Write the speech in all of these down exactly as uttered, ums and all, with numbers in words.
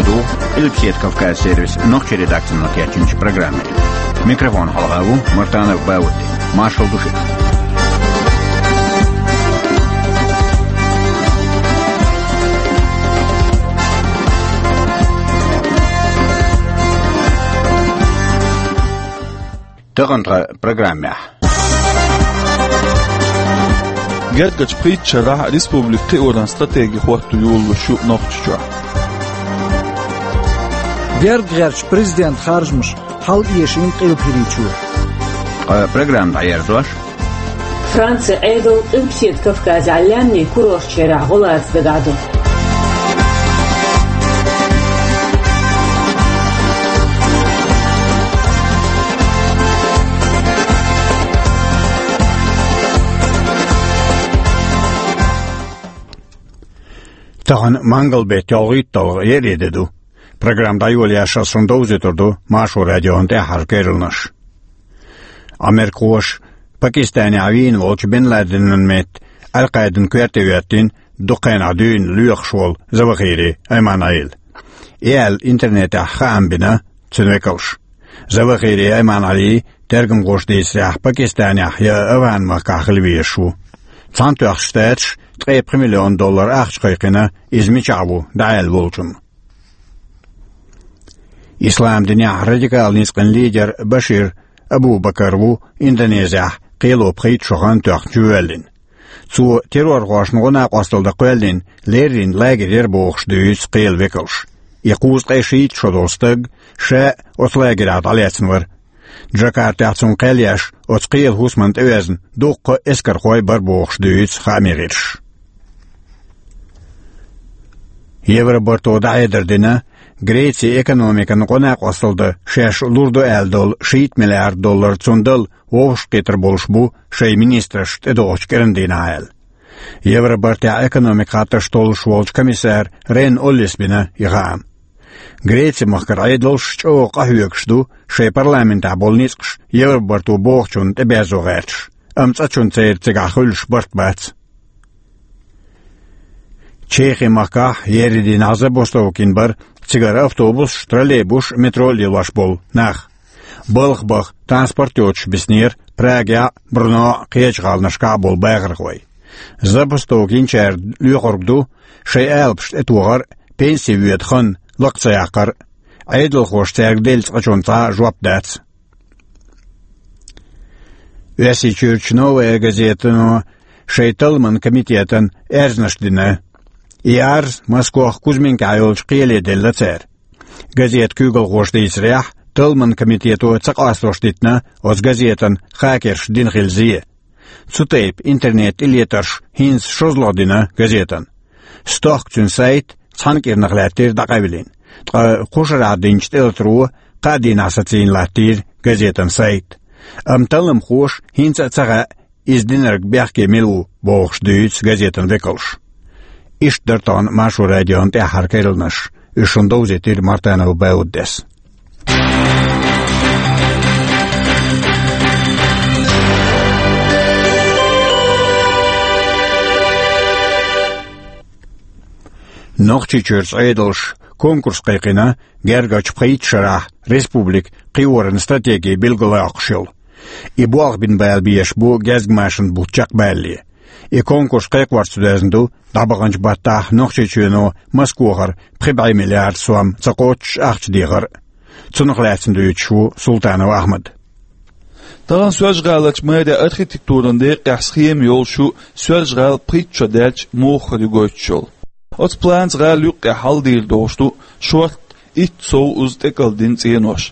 Ду Къилбаседа Кавказ сервисан нохчийн редакцино кечйинчу программе. Микрофона хьалха ву Мартанов Бауди. Маршалла ду шуьга. Тахана тхан программехь. Гергарчу пхийтта шарахь республика кхиоран стратеги хӀотто йолалуш ю Нохчийчохь. Герга гӀертачу президентан харжамаш хьалаэшийна Къилба ХӀирийчоь. Ткъа программа дӀаерзош. Францин Ӏедал Къилбаседа Кавказехь лаьмнийн курорташкахь гӀо лаца дагахь ду. Тахана мангал-беттан ялхитталгӀа еарин де ду. Программа дӀайолаеш ас шуна довзуьйтур ду Маршо радион тӀаьххьара керланаш. Америкахоша Пакистанехь вийна волчу Бен Ладенан метта Аль-Къаидан коьрте хӀоьттина дукха хенахь дуьйна лоьхуш волу Завахири Айман-Ӏели. И аьлла интернетехь хаам бина цуьнан векалша. Завахири Айман-Ӏели, тергамхоша дийцарехь, Пакистанехь я АфгӀан-махкахь хила везаш ву. Цхьаьнатоьхначу Штаташа ткъе пхи миллион доллар ахча кхайкхина иза мичахь ву дӀааьлла волчунна. Ислам динехь радикал ницкъан лидер Башир Абу-Бакар ву Индонезехь кхело пхийтта шо хан тоьхначу воьллина. Цо террорхошна гӀо-накъосталла дан кхоьллина леррина лагерь яра бохуш дуьйцу кхелан векалша. И кхузткъе шийтта шо долу стаг ша оцу лагерехь дӀалаьцна вара. Джакартехь цунна кхел еш оцу кхелан хӀусамна тӀевеана дуккха а эскархой бара бохуш дуьйцу хаамийн гӀирсаша. Евробарто дӀахьедар дина, Грецин экономикана гӀо-накъосталла дан шаьш лур ду аьлла долу шийтта миллиард доллар цунна дала вовшахкхетар болуш бу шайн министраш тӀедогӀучу кӀиран дийнахь аьлла. Евробартехь экономикан хаттарш толлуш волчу комиссара Рен Оллис бина и хаам. Греци-махкара Ӏедалш чӀогӀа къахьоьгуш ду шайн парламентехь болу ницкъаш Евробарто бохучунна тӀеберзо гӀерташ, амма цкъачунна церан цигахь хуьлуш барт бац. Чехи-махкахь еарин дийнахь забастовка йина бара цигара автобусаш, троллейбусаш, метро лелош болу нах. Балха баха транспорт йоцуш биснера Прагехь а, Брно а, кхечу гӀаланашкахь а болу бахархой. Забастовка йинчара лоьхург ду шайн алапаш тӀетохар а, пенси воьду хан лакха ца яккхар а. Ӏедалхоша цаьрга делла цкъачунна цхьа а жоп дац. Оьрсийчуьрчу «Новая газетано» шайн талламан комитетана аьрзнаш дина. И арз Москох Кузьминкахь йолчу кхеле делла цара. Газетан куьйгалхоша дийцарехь, талламан комитето ца къастош дитина оцу газетана хакерша дина хила зе. Цу тайпа интернет-тӀелетарш хӀинца шозлагӀа дина газетана. Стохка цуьнан сайт цхьана кӀирнах лаьттира дӀакъевлина, ткъа кху шарахь динчу тӀелатаро кхаа дийнахь сацийна латтийра газетан сайт. Амма талламхоша хӀинца а ца хаьа, иза динарг бехке мила ву бохуш дуьйцу газетан векалша. Иштта дара тахана Маршо радион тӀаьххьара керланаш, уьш шуна довзийтира Мартанов Бауддес. Нохчийчуьрчу Ӏедалша конкурс кхайкхина гергарчу пхийтта шарахь республика кхиоран стратеги билгалйоккхуш йолу. И болх бина бала безаш бу гезгмашин бутт чекхбалале. И конкурс кхайкхорца доьзна ду дӀабаханчу баттахь Нохчийчоьно Москохара пхи бӀе миллиард сом ца кхоччуш ахча дехар а. Цунах лаьцна дуьйцуш ву Султанов Ахьмад. Тахана Соьлжа-ГӀаларчу мэрин архитектуран декъехь схема йолуш ю Соьлжа-ГӀала пхийтта шо даьлча муха хир ю гойтуш йолу. Оцу планца гӀала юккъехь хьалдийр долуш ду шорта итт сов уза тӀекӀалдина цӀенош.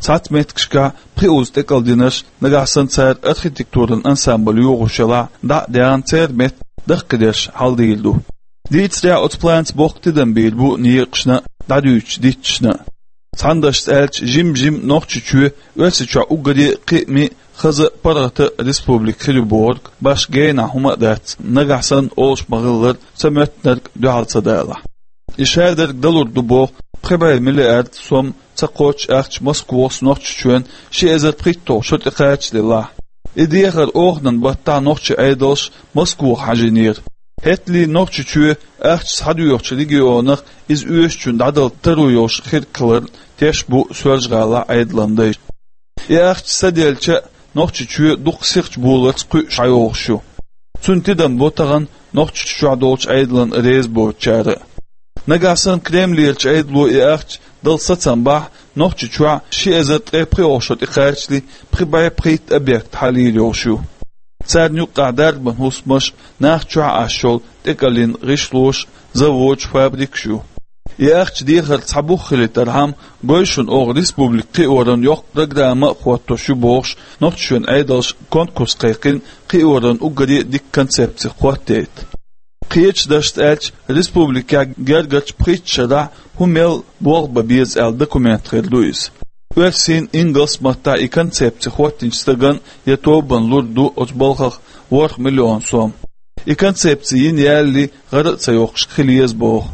Цхьацца меттигашкахь пхи уза тӀекӀалдинарш, нагахь санна цара архитектуран ансамбль йохош елахь, дӀа а даьхна, церан метта даккхийдерш хьалдийр ду. Дийцарехь, оцу планца боккха тидам бийр бу некъашна а, дӀадуьйцучу дитташна а. Цхьана дашца аьлча, жим-жима Нохчийчоь Оьрсийчохь уггаре а кхиамийн, хаза а, паргӀата а республика хир ю бохург башха генахь хӀума а дац, нагахь санна олуш ма-хиллара, ца моьттинарг дуьхьал ца далахь. И шадерг далур ду боху пхи бӀе миллиард сом ца кхоччуш ахча Москохаца Нохчийчоьнна ши эзар пхийтталгӀа шо тӀекхача делахь. И дехар оханан баттахь нохчийн Ӏедалш Москоха хьажийнера. ХӀетале Нохчийчоь ахча схьадоьхучу регионах иза оьшучун дӀадала таро йолуш хир хиларна теш бу Соьлжа-ГӀалахь Ӏедалан дайша. И ахча саделча а, Нохчийчоь дукха сихачу боларца кхуьуш схьайогӀуш ю. Цуьнан тидам бо тахана Нохчийчохь долчу Ӏедална реза боцучара а. Нагахь санна Кремлерчу Ӏедало и ахча дала сацам бахь, Нохчийчохь ши эзар ткъе пхоьалгӀа шо тӀекхачале пхи бӀе пхийтта объект хьалийр йолуш ю. Царна юккъехь дарбан хӀусамаш, нах чохь Ӏаш йолу тӀекӀеллин гӀишлош, заводаш, фабрикаш ю. И ахча дехар цхьа бух хилийтархьама, гой шуна, оха республика кхиоран йоккха программа а хӀоттош ю бохуш, Нохчийчоьнан Ӏедалша конкурс кхайкхина, кхиоран уггаре а дика концепци хӀоттийта. Кхечу дашца аьлча, республикехь гергарчу пхийтта шарахь хӀун мел болх бан беза аьлла документ хир ду иза. Оьрсийн, ингалс маттахь и концепци хӀоттийначу стагана я тобанна лур ду оцу балхах ворхӀ миллион сом. И концепци йина ялале, гӀара а ца йоккхуш хила еза боху.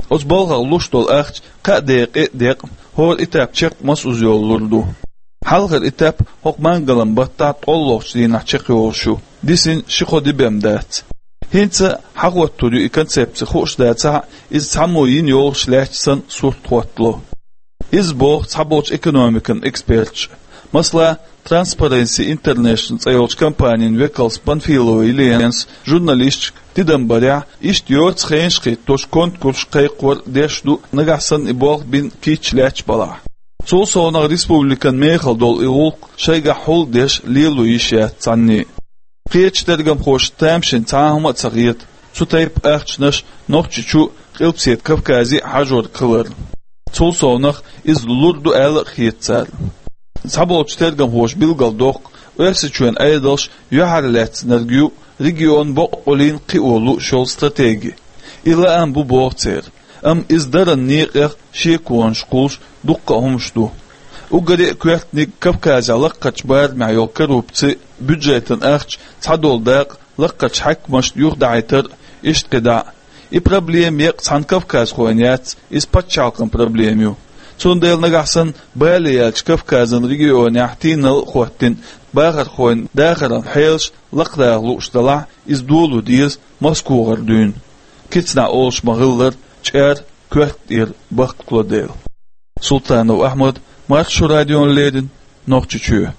Оцу балхах луш долу ахча кхаа декъе а декъна, хӀора этап чекх массо а йолу лур ду. Хьалхара этап хӀокху мангалан баттахь ткъолгӀачу дийнахь чекхйолуш ю, дисина ши-кхо де бен дац. ХӀинца хьахӀоттор ю и концепци хууш дацахь а, иза цхьаммо йина йогӀуш лаьтташ санна сурт хӀоттало. Иза боху цхьаболчу экономикан эксперташа. Масала, Transparency International цӀе йолчу компанин векалс Панфилова Елена журналисташка тидам барехь, иштта йоцу хенаш кхиттош конкурс кхайкхор деш ду, нагахь санна и болх бина кийча лаьтташ балахь. Цул совнаха республикан мехала долу и гӀуллакх шайгахь хьулдеш лело йиш яц цхьанне а. Кхечу тергамхоша тамашийна цхьа а хӀума а ца хета цу тайпа ахчанаш Нохчийчу, Къилбаседа Кавказе а хьажор хиларна. Цул совнаха иза лур ду аьлла а хета царна. Цхьаболчу тергамхоша билгалдоккху, Оьрсийчоьнан Ӏедалш юьхьарлаьцнарг ю регион бакъволуш кхио лууш йолу стратеги. И лаам бу боху церан, амма иза даран некъех шеконаш кхуллуш дуккха а хӀумаш ду. Уггаре а коьртаниг Кавказехь лаккхарчу барамехь йолу коррупци, бюджетан ахча цхьадолу дакъа лаккхарчу хьаькамашна юхадахьийтар а, иштта кхидӀа а. И проблема еккъа цхьана кавказхойн яц, иза пачхьалкхан проблема ю. Цундела нагахь санна бале яьллачу Кавказан регионехь тийналла а хӀоттийна, бахархойн дахаран хьелаш лакхадаха лууш далахь, иза доло деза МосквагӀара дуьйна. Кицанахь олуш ма-хиллара, чӀара коьрта тӀера бахкало дела. Султанов Ахьмад, Маршо радиона леррина, Нохчийчоь.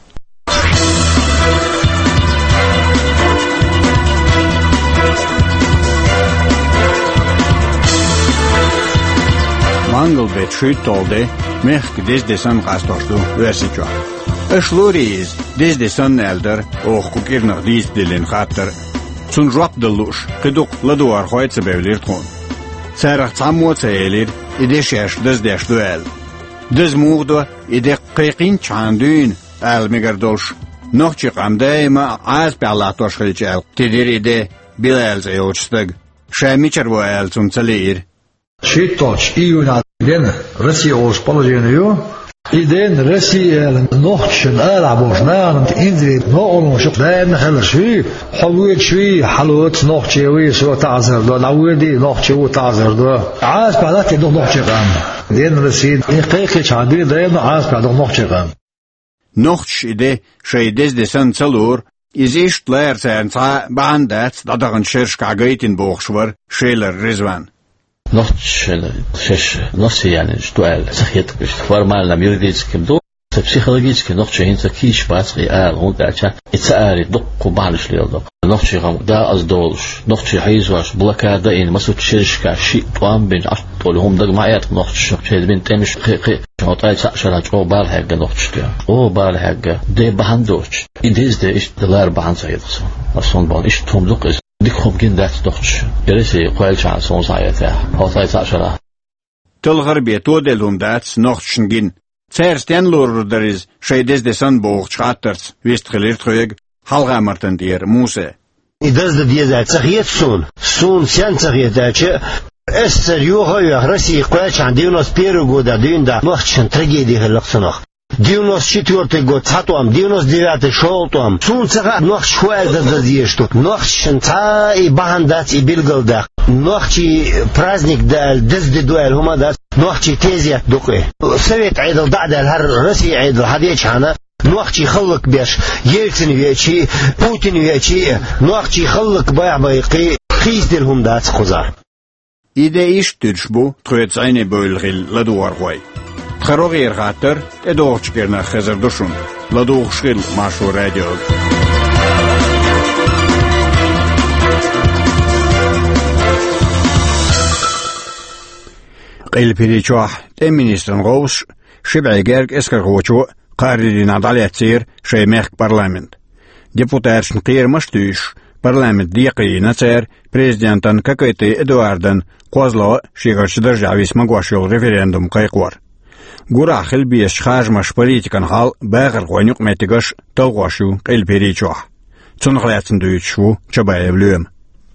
Мангал беттан шуьйтталгӀа де мехкан деза де санна къастош ду Оьрсийчохь. Аша лорий иза деза де санна аьлла дара оха кху кӀирнах дийца диллина хаттар а. Цунна жоп дала лууш, кхин дукха ладогӀархой а ца бевлира тхуна. Царах цхьаммо а ца элира, и де шаьш даздеш ду аьлла. Даза муха до, и де кхайкхинчхьана дуьйна, ала мегар долуш, нохчийн къам даима а Ӏазапехь латтош хилча аьлла, тидира и де Билал цӀе йолчу стага. Ша мичара ву ала цунна ца лиира. ШийтталгӀачу июнехь дена Россия олуш положение ю. И дена Россия аьлла, нохчашна арахь болчу нахана инзаре новкъарлонаш даимна хиларш ю. Хьо воьдуш вий, хьалоца нохче вий, со таӀзар до, дӀавоьдий, нохче ву, таӀзар до. Ӏазапехь латте ду нохчийн къам. Дена Россия, и кхайкхинчхьана дуьйна даимна Ӏазапехь ду нохчийн къам. Нохчаша и де шайн деза де санна ца лору, иза иштта лара царна цхьа а бахьана дац дӀадаханчу шерашкахь гайтина бохуш вара Шелара Ризван. Нохчаша шаьш нохчий яьннаш ду аьлла ца хета, иштта формально-м, юридически-м ду. Ткъа психологически нохчий хӀинца кийча бац-кх и ала, хӀунда аьлча и ца алий дуккха бахьанаш леладо. Нохчийн къам дакъаза долуш, нохчий хьийзош, блокада а йина, массо а шерашкахь шиъ тӀом бина, Ӏаш тӀе хӀума дага ма Ӏе-кх нохчаша, шайна бина тӀемаш кхин а, кхин а. ХӀокху ткъе цхьаъ шарахь чӀогӀа бала хьегна нохчашна. ЧӀогӀа бала хьегна. Де бахьана доцуш. И деза де иштта лара бахьана ца хета суна. Ас хӀунда боху, иштта хӀума ду-кх иза. Дика хӀума гина дац нохчаша. Оьрсий кхоьллинчхьана суна схьаэцахь, хӀокху ткъе цхьаъ шарахь. Талхар бен тоделла хӀума дац нохчашна гина. Цара стенна лорур дара иза шайн деза де санна бохучу хаттарца, вистхилира тхоьга Хьалха-Мартан тӀера Муса. И деза де деза аьлла ца хета суна. Суна стенна ца хета аьлча, СССР йоха а йоьхна, Россия кхоьллинчхьана девяносто первый годехь дуьйна дӀа нохчашна трагеди хилла-кх цунах. Девяносто четвёртый год цхьа тӀом, девяносто девятый шолгӀа тӀом. Суна ца хаьа, нохчаша хӀун аьлла деза дезаш ду. Нохчашна цхьа а и бахьана дац и билгалдаккха. Нохчийн праздник ду аьлла, деза де ду аьлла хӀума а дац. Нохчийн тезет ду-кх и. Совет Ӏедал дӀа а даьлла, хӀара Россия Ӏедал хьадеъчхьана, нохчий хӀаллакбеш, Ельцин веачий, Путин веачий, нохчий хӀаллакбаха байкхий, Кхийсдина хӀума дац кхузахь. И де иштта дуьдуш бу тхоьца зӀене бевлла хилла ладогӀархой. Тхан рогӀера хаттар тӀедогӀучу кӀирнах хезар ду шуна. ЛадугӀуш хила Маршо радиога. Къилбаседа чохь тӀеман министран гӀовс ши бӀе герга эскархочо кхаарин дийнахь дӀалецира шайн мехкан парламент. Депутаташна кхерамаш а туьйсуш, парламент декхарийлина цара президентан Кокойты Эдуардан кхозлагӀа шегарчу даржехь виса магош йолу референдум кхайкхор. Гурахь хила безачу харжамаш, политикан хьал, бахархойн юкъаметтигаш талхош ю Къилбаседа чохь. Цунах лаьцна дуьйцуш ву Чабаев Лоьма.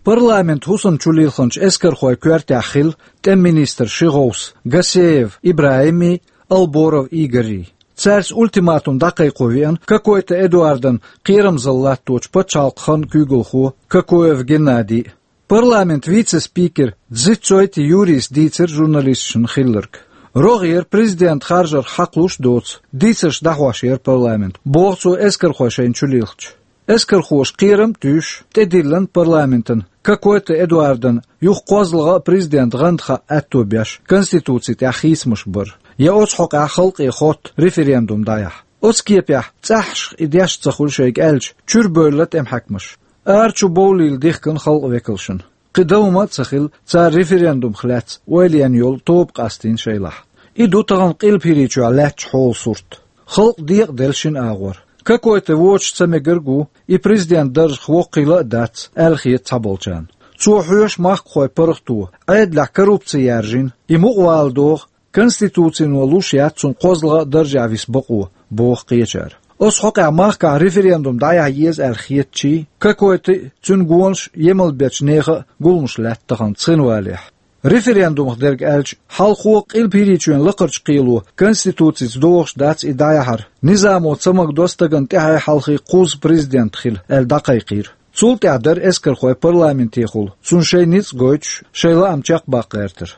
Парламент хӀусамчу лилхинчу эскархойн коьртехь хилла тӀеман министран ши гӀовс: Гасеев ИбрахӀимий, Алборов Игорий. Цаьрца ультиматум дӀакхайкхо веана Кокойты Эдуардан кхерамзалла латточу пачхьалкхан куьйгалхо Кокоев Геннадий. Парламентан вице-спикер Дзицойти Юрийс дийцира журналисташна хилларг. РогӀера президентан харжар хьакхалуш а доцу дийцарш дӀахьош яра парламент, боху цо эскархой шайна чу лилхча. Эскархоша кхерам а туьйсуш, тӀедиллина парламентана Кокойты Эдуардан юха кхозлагӀа президентан гӀанда хаа аьтто беш, Конституци тӀехь хийцамаш бар, я оцу хьокъехь халкъе хотта референдум дӀаяхьа. Оцу кепехь цӀахьашха и деш ца хуьлу шайга аьлча, чуьра бевлла тӀеман хьаькамаш. Ара чу бовлийла дихкина халкъан векалшна. Кхин дан хӀума а ца хилла, цара референдумах лаьцна ойла ена йолу тоба къастийна шайлахь. И ду тахана Къилбаседа чохь лаьттачу хьолан сурт. Халкъ декъаделла шина агӀор. Кокойты вочу ца мегарг ву, и президентан даржах воккхийла а дац, аьлла хета цхьаболчарна. Цо хьоьшу махкахойн паргӀато, Ӏедалехь коррупци яржийна, и мукъавала догӀу, Конституцино луш яц цунна кхозлагӀа даржехь виса бакъо, боху кхечара. Оцу хьокъехь махкахь референдум дӀаяхьа еза аьлла хетачий, Кокойты а, цуьнан гонаш а емал бечу нехан а гуламаш лаьтта тахана Цхинвалехь. Референдумах дерг аьлча, хьалхо Къилбаседа чоьнан лакхарчу кхело Конституцица догӀуш дац и дӀаяхьар, низамо ца магадо стагана тӀаьхье-хьалхе кхузза президент хила, аьлла дӀакхайкхийра. Цул тӀаьхьа дара эскархой парламентехула, цунна шайн ницкъ гойтуш, шайн лаам чекхбаккха гӀертар.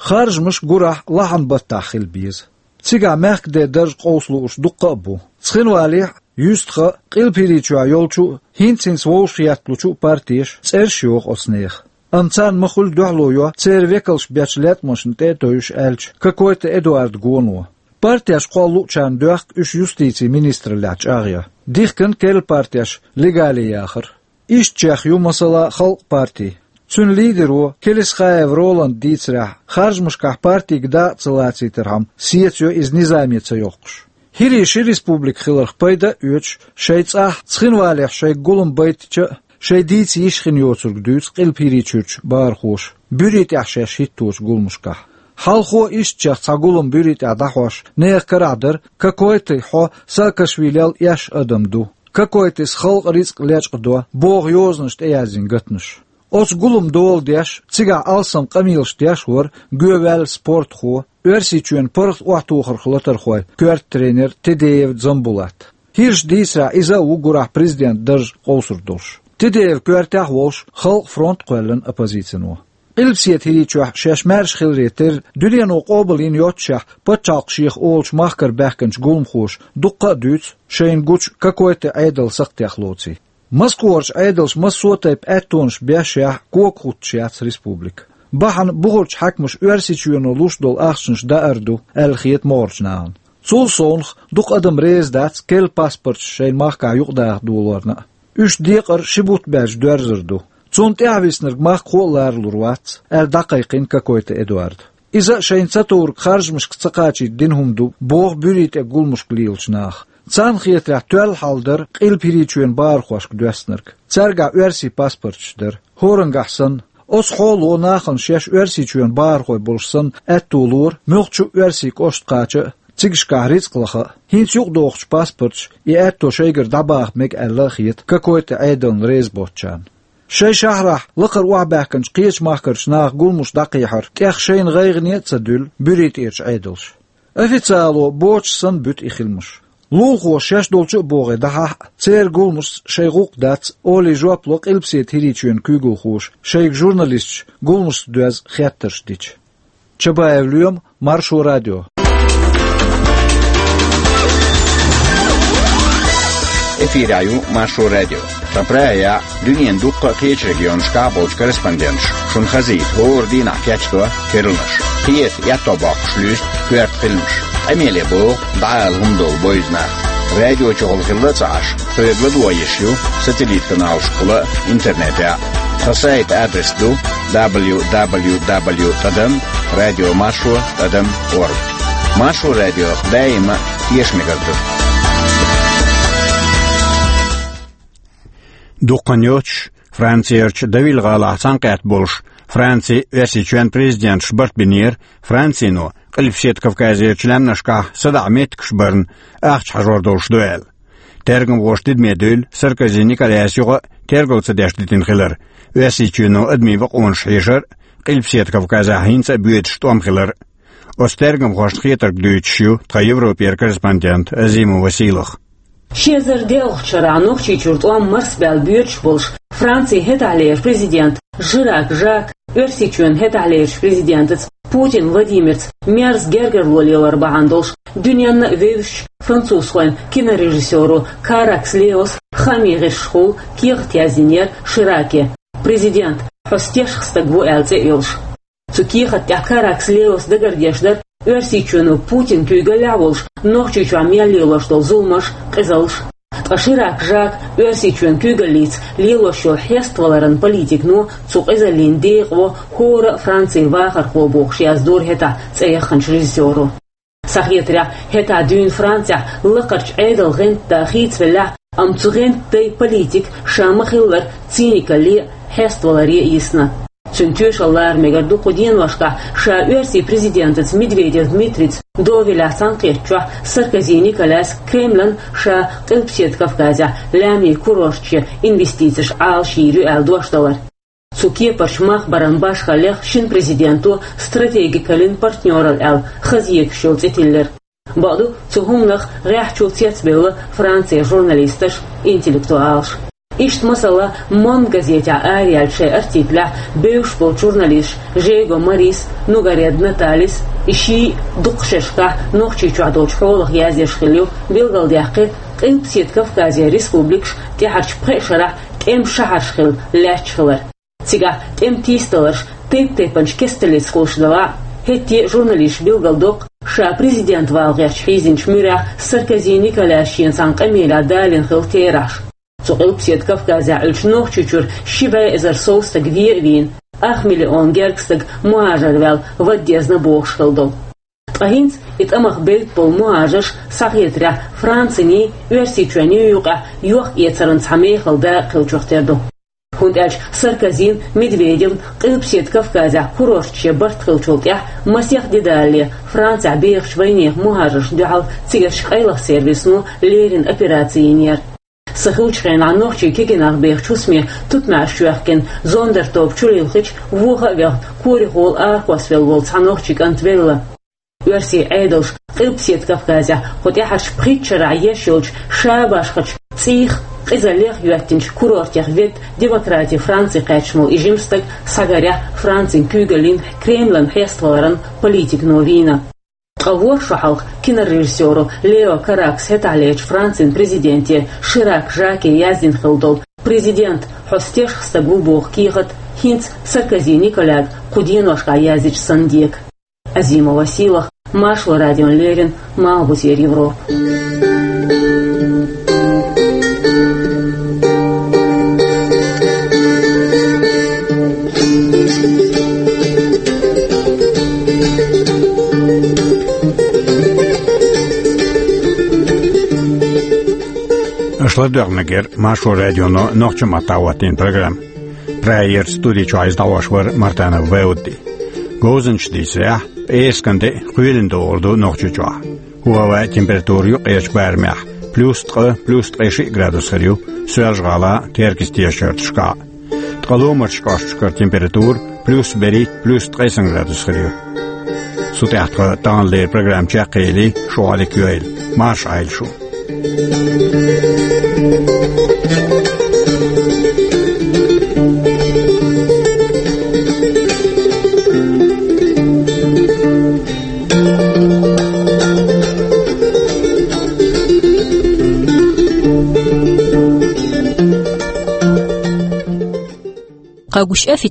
Харжамаш гурахь лахьан баттахь хила беза. Цигахь мехкаде дарж къовса лууш дуккха а бу. Цхинвалехь а, юьстахь а, Къилбаседа чохь йолчу а, хӀинца-хӀинца вовшахъетталучу а партеша цӀераш йоху оцу нехан. Амма царна ма-хуьллу дуьхьало йо церан векалш бечу латкъамашна тӀе а тевжаш, аьлча Кокойты Эдуардан гоно. Партеш кхолла луучарна доьхку уьш юстицин министраллехь чӀагӀъян. Дихкина керла партеш легале яхар. Ишттачех ю, масала, Халкъ парти. Цуьнан лидеро Келисхаев Роланда дийцарехь, харжамашкахь партига дакъа ца лацийтархьама, сецайо иза низаме ца йоккхуш. ХӀирийн ши республика хиларх пайда а оьцуш, шайн цӀахь Цхинвалехь шайга гулам байтича а, шайн дийца йиш хин йоцург дуьйцу Къилбаседа чуьрчу бахархоша, Буьри тӀехь шаьш хӀитточу гуламашкахь. Хьалхо ишттачех цхьа гулам Буьри тӀехь дӀахьош, нехан карахь дара, Кокойты хьо Саакашвилел эшна адам ду, Кокойтыс халкъан рицкъ лечкъадо, боху йозанаш тӀеяздина гатанаш. Оцу гуламан дола деш, цигахь алсам къамелаш деш вара гоьваьлла спортхо, Оьрсийчоьнан паргӀат охьатохарх латархойн коьрта тренер Тедеев Дзамбулат. ХӀирша дийцарехь, иза а ву гурахь президентан дарж къовсур долуш. Тедеев коьртехь а волуш, Халкъан фронт а кхоьллина оппозицино. Къилбаседа ХӀирийчохь шаьш маьрша хиларе терра, дуьнено къобалйина йоццушехь, пачхьалкх шех олучу махкара баьхкинчу гуламхоша дуккха а дуьйцу шайна гучу Кокойты Ӏедал сакхтех лоций. Москварчу Ӏедалша массо а тайпа аьттонаш бешшехь а, кога хӀуттуш яц республика. Бахьана бухарчу хьаькамаша Оьрсийчоьно луш долу ахчанаш даар ду, аьлла хета могӀарчу нахана. Цул совнаха, дукха адам реза дац керла паспорташ шайна махкахь юкъадаха долорна а. Уьш декъар ши бутт баьлча доьрзур ду. Цунна тӀаьхьа виснарг махкахо а ларалур вац, аьлла дӀакхайкхийна Кокойты Эдуарда. Иза а шайна ца товриг харжамашка ца кхачийта дина хӀума ду, боху Буьри тӀе гуламашка лелачу наха. Царна хетарехь, тоьлла хьал дара Къилба ХӀирийчоьнан бахархошка доьссинарг. Цаьргахь оьрсийн паспорташ дара, хӀораннахь санна. Оцу хьоло нахана шаьш Оьрсийчоьнан бахархой болуш санна аьтто лора, муьлххачу а оьрсийн кӀоштах кхача а, цигашкахь рицкъ лаха а. ХӀинца юкъадохучу паспорташа и аьтто шайгара дӀабаха мега аьлла а хета Кокойты Ӏедална реза боцучарна. Шайн шахьарахь лакхара охьабаьхкинчу кхечу махкарчу наха гуламаш дӀакхехьар тӀех шайна гӀайгӀане а ца дуьллу Буьри тӀерачу Ӏедалша. Официало боцуш санна буьту и хиламаш. Лулахоша шаьш долчу а богӀий дӀахьахь а, церан гуламашца шайн гӀуллакх дац, олий жоп ло Къилбаседа ХӀирийчоьнан куьйгалхоша, шайга журналисташа гуламашца доьзна хеттарш дича. Чабаев Лоьма, Маршо радио. Эфирехь ю Маршо радио. Тхан прая дуьненан дуккха а кхечу регионашкахь болчу корреспонденташа шуна хазийта хӀора дийнахь кечдо керланаш. Кхета, еттӀо боккхуш луьйста коьрта хиламаш. Къамеле боху, дӀаала хӀума долу бойза нах. Радиочухула хилла а ца Ӏаш, тхоьга ладогӀа йиш ю сателлит-каналашкахула а, интернетехь а. Тхан сайтан адрес ду: дабл ю дабл ю дабл ю тӀадам радио маршо тӀадам орг. Маршо радиох даима а тешаме хир ду. Дуккха а йоцуш, Францерчу Девиль-гӀалахь цхьаьнакхетта болуш, Францин, Оьрсийчоьнан президенташ барт бинера Францино Къилбаседа Кавказерчу лаьмнашкахь садаӀа меттигаш барна ахча хьажор долуш ду аьлла. Тергамхоша тидаме дуьйла Саркози Николайс юкъа а тергал ца деш дитина хилар, Оьрсийчоьно адамийн бакъонаш хьешар а, Къилбаседа Кавказехь хӀинца а боьдуш тӀом хилар а. Оцу тергамхошна хетарг дуьйцуш ю тхан Европера корреспондент Азимова Сийлаха. Ши эзар доьалгӀачу шарахь Нохчийчуьра тӀом марсабаьлла боьдуш болуш, Францин хӀетахьлерчу президента Ширак Жака Оьрсийчоьнан хӀетахьлерчу президентаца Путин Владимирца мерза гергарло лелор бахьана долуш, дуьненна а вевзачу французхойн кинорежиссёро Каракс Леос хаамийн гӀирсашкахула кехат яздинера Шираке: «Президент, хьо стешах стаг ву», аьлла цӀе а йолуш. Цу кехат тӀехь Каракс Леос дагардеш дара Оьрсийчоьно Путинан куьйгаллехь а волуш, Нохчийчохь мел лелош долу зуламаш а, къизаллаш а. Ткъа Ширак Жака Оьрсийчоьнан куьйгаллица лелош йолу хьеставаларан политикано, цу къизаллин декъо хӀора а Францин вахархо бохуш яздора хӀетахь цӀе яхханчу режиссёро. Схьахетарехь, хӀетахь дуьйна Францехь лакхарчу Ӏедалан гӀанта да хийцавеллехь а, амма цу гӀанта дайн политика ша ма-хиллара цинкалле а, хьеставаларе а йисна. Цуьнан тоьшалла лара мегар ду кху деношкахь, ша оьрсийн президентаца Медведев Дмитрийца догӀа велахь цхьаьнакхеттачохь, Саркози Николайс Кремлана ша Къилбаседа Кавказехь лаьмнийн курорташкахь инвестицеш Ӏалашйийр ю аьлла дош далар. Цу кепарчу махбаран башхаллех шина президенто стратегикаллин партнёралла аьлла хаза егаш йолу цӀе тиллира. Бакъду, цу хӀуманах гӀеххьачул цецбевлла Францин журналисташ а, интеллектуалаш а. Иштта, масала, Монд газетехь араяьллачу шайн артиклехь бевзаш болчу журналисташа Жего Марис а, Нугаред Наталис а, и шиъ а дукха шерашкахь Нохчийчохь долчу хьолах яздеш хилла ю, билгалдаьккхира Къилбаседа Кавказан республикаш тӀаьхьарчу пхеа шарахь тӀеман шахьарш хилла лаьтташ хилар. Цигахь тӀеман тийсадаларш тайп-тайпанчу кесталлица хуьлуш далахь а, хӀетте а журналисташа билгалдоккху ша президент вала гӀерташ хьийзинчу муьрехь Саркози Николайс шена цхьана къамелехь далийна хилла терахьаш. Цу Къилбаседа Кавказехь Ӏуьллучу Нохчийчуьра ши бӀе эзар сов стаг вен а вийна, ах миллион гергга стаг мухӀажар ваьлла вада дезна бохуш хилла долу. Ткъа хӀинца и тӀамах бевдда болу мухӀажарш, схьахетарехь, Франциний, Оьрсийчоьнний юкъахь йохк-эцаран цхьа мехала дакъа хиллачух тера ду. ХӀунда аьлча Саркозин, Медведевн Къилбаседа Кавказехь курорташ ян барт хиллачул тӀаьхьа масех де далале Францехь бехачу вайнехан мухӀажаршна дуьхьал цигарчу къайлаха сервисано леррина операци йинера. Сан хиллачу хенахь нохчийн кегийнах бехачу хӀусаме тутмакъаш чоьхкина зондертобан чулилхича, воха а вехна, корехула арахосвелла волу цхьа нохчийн кӀант велла. Оьрсийн Ӏедалша Къилбаседа Кавказехь кху тӀаьхьарчу пхийтта шарахь еш йолчу ша башхачу цӀийх, къизаллех йоьттинчу курортех ведда демократин Франци кхаьчна волу и жима стаг схьагарехь Францин куьйгаллин, Кремлан хьеставаларан политикано вийна. Ткъа ворхӀ шо хьалха кинорежиссёро Лео Каракса хӀетахьлерчу Францин президенте Ширак Жаке яздина хилла долу «Президент, хьо стешах стаг ву» боху кехат хӀинца Саркози Николайга кху деношкахь яздича санна дега. Азимова Сийлаха, Маршо радиона леррина, Малхбузера Европа. Аша ладоьгӀнарг яра Маршо радионо нохчийн маттахь хӀоттийна программа. Прагерчу студи чохь иза дӀахьош вара Мартанов Баудди. Говзанчаш дийцарехь, пӀераскан де а, кхоьлина догӀур ду Нохчийчохь. ХӀаваан температура юккъерчу барамехь плюс ткъа, плюс ткъе шиъ градус хир ю Соьлжа-ГӀалахь а, Теркан тешачу шарашкахь а. Ткъа ломарчу кӀошташкара температура плюс берхӀитта, плюс ткъе сан градус хир ю. Цу тӀехь тхан таханлера программа чекхъели, шун Ӏалик йойла, марша Ӏойла шу. КъэгущыӀэ фи